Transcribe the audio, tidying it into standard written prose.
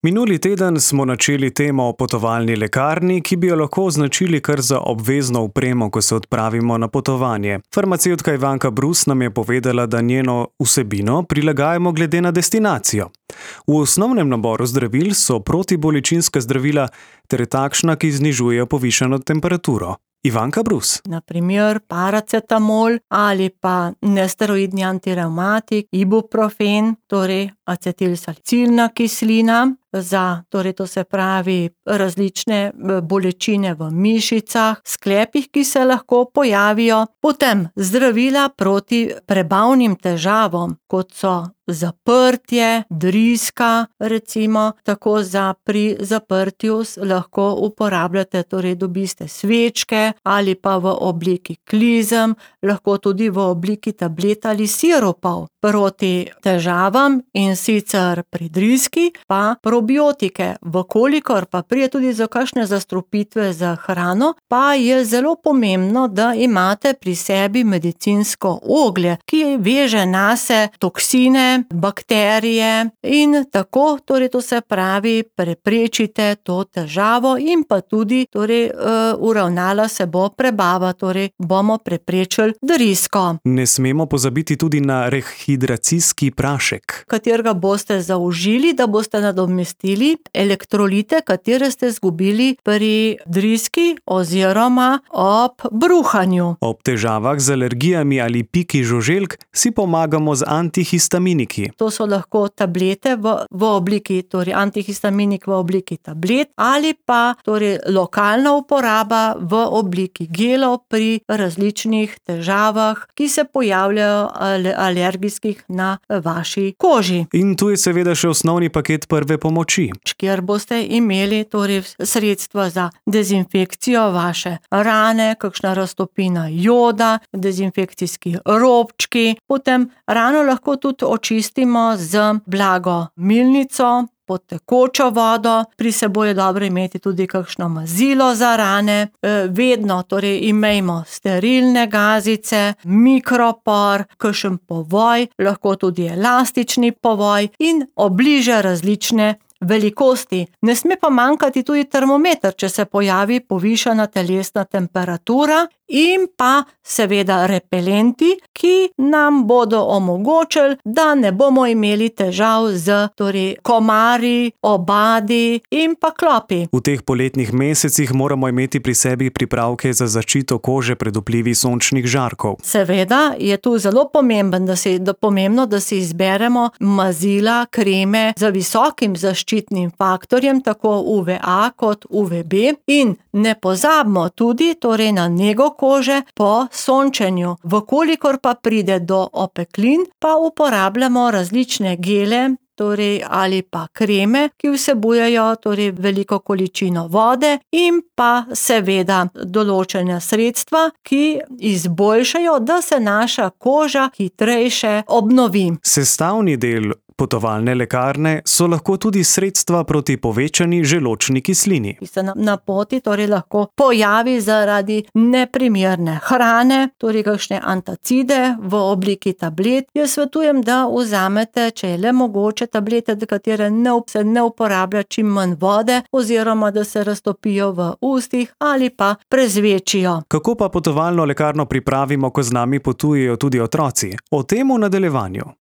Minuli teden smo načeli temo o potovalni lekarni, ki bi jo lahko označili kar za obvezno opremo, ko se odpravimo na potovanje. Farmacevtka Ivanka Brus nam je povedala, da njeno vsebino prilagajamo glede na destinacijo. V osnovnem naboru zdravil so protibolečinska zdravila ter takšna, ki znižujejo povišano temperaturo. Ivanka Brus. Na primer paracetamol ali pa nesteroidni antirevmatik, ibuprofen, torej acetilsalicilna kislina, to se pravi različne bolečine v mišicah, sklepih, ki se lahko pojavijo. Potem zdravila proti prebavnim težavam, kot so zaprtje, driska, recimo, tako pri zaprtju lahko uporabljate, torej dobite svečke ali pa v obliki klizem, lahko tudi v obliki tablet ali sirupov. Proti težavam in sicer pri driski pa probiotike. Vkolikor pa pride tudi za kakšne zastrupitve z hrano, pa je zelo pomembno, da imate pri sebi medicinsko oglje, ki veže nase toksine, bakterije in tako, to se pravi, preprečite to težavo in pa tudi, uravnala se bo prebava, bomo preprečili drisko. Ne smemo pozabiti tudi na rehidracijski prašek, katerega boste zaužili, da boste nadomestili elektrolite, katere ste izgubili pri driski oziroma ob bruhanju. Ob težavah z alergijami ali piki žuželk si pomagamo z antihistaminiki. To so lahko tablete v obliki, antihistaminik v obliki tablet ali pa lokalna uporaba v obliki gelov pri različnih težavah, ki se pojavljajo alergijskih na vaši koži. In tu je seveda še osnovni paket prve pomoči, kjer boste imeli sredstva za dezinfekcijo vaše rane, kakšna raztopina joda, dezinfekcijski robčki, potem rano lahko tudi očistimo z blago milnico, pod tekočo vodo, pri seboj je dobro imeti tudi kakšno mazilo za rane, vedno imejmo sterilne gazice, mikropor, kakšen povoj, lahko tudi elastični povoj in obliže različne velikosti. Ne sme pa manjkati tudi termometer, če se pojavi povišana telesna temperatura, in pa seveda repelenti, ki nam bodo omogočili, da ne bomo imeli težav z komarji, obadi in pa klopi. V teh poletnih mesecih moramo imeti pri sebi pripravke za zaščito kože pred vplivi sončnih žarkov. Seveda je tu zelo pomembno, da si izberemo mazila, kreme z visokim zaščitnim faktorjem, tako UVA kot UVB, in ne pozabimo tudi na nego kože po sončenju. Vkolikor pa pride do opeklin, pa uporabljamo različne gele, ali pa kreme, ki vsebujejo veliko količino vode in pa seveda določena sredstva, ki izboljšajo, da se naša koža hitrejše obnovi. Sestavni del potovalne lekarne so lahko tudi sredstva proti povečani želodčni kislini, ki se na poti lahko pojavi zaradi neprimerne hrane, kakšne antacide v obliki tablet. Jaz svetujem, da vzamete, če je le mogoče, tablete, katere se ne uporablja čim manj vode, oziroma da se raztopijo v ustih ali pa prezvečijo. Kako pa potovalno lekarno pripravimo, ko z nami potujejo tudi otroci? O tem v nadaljevanju.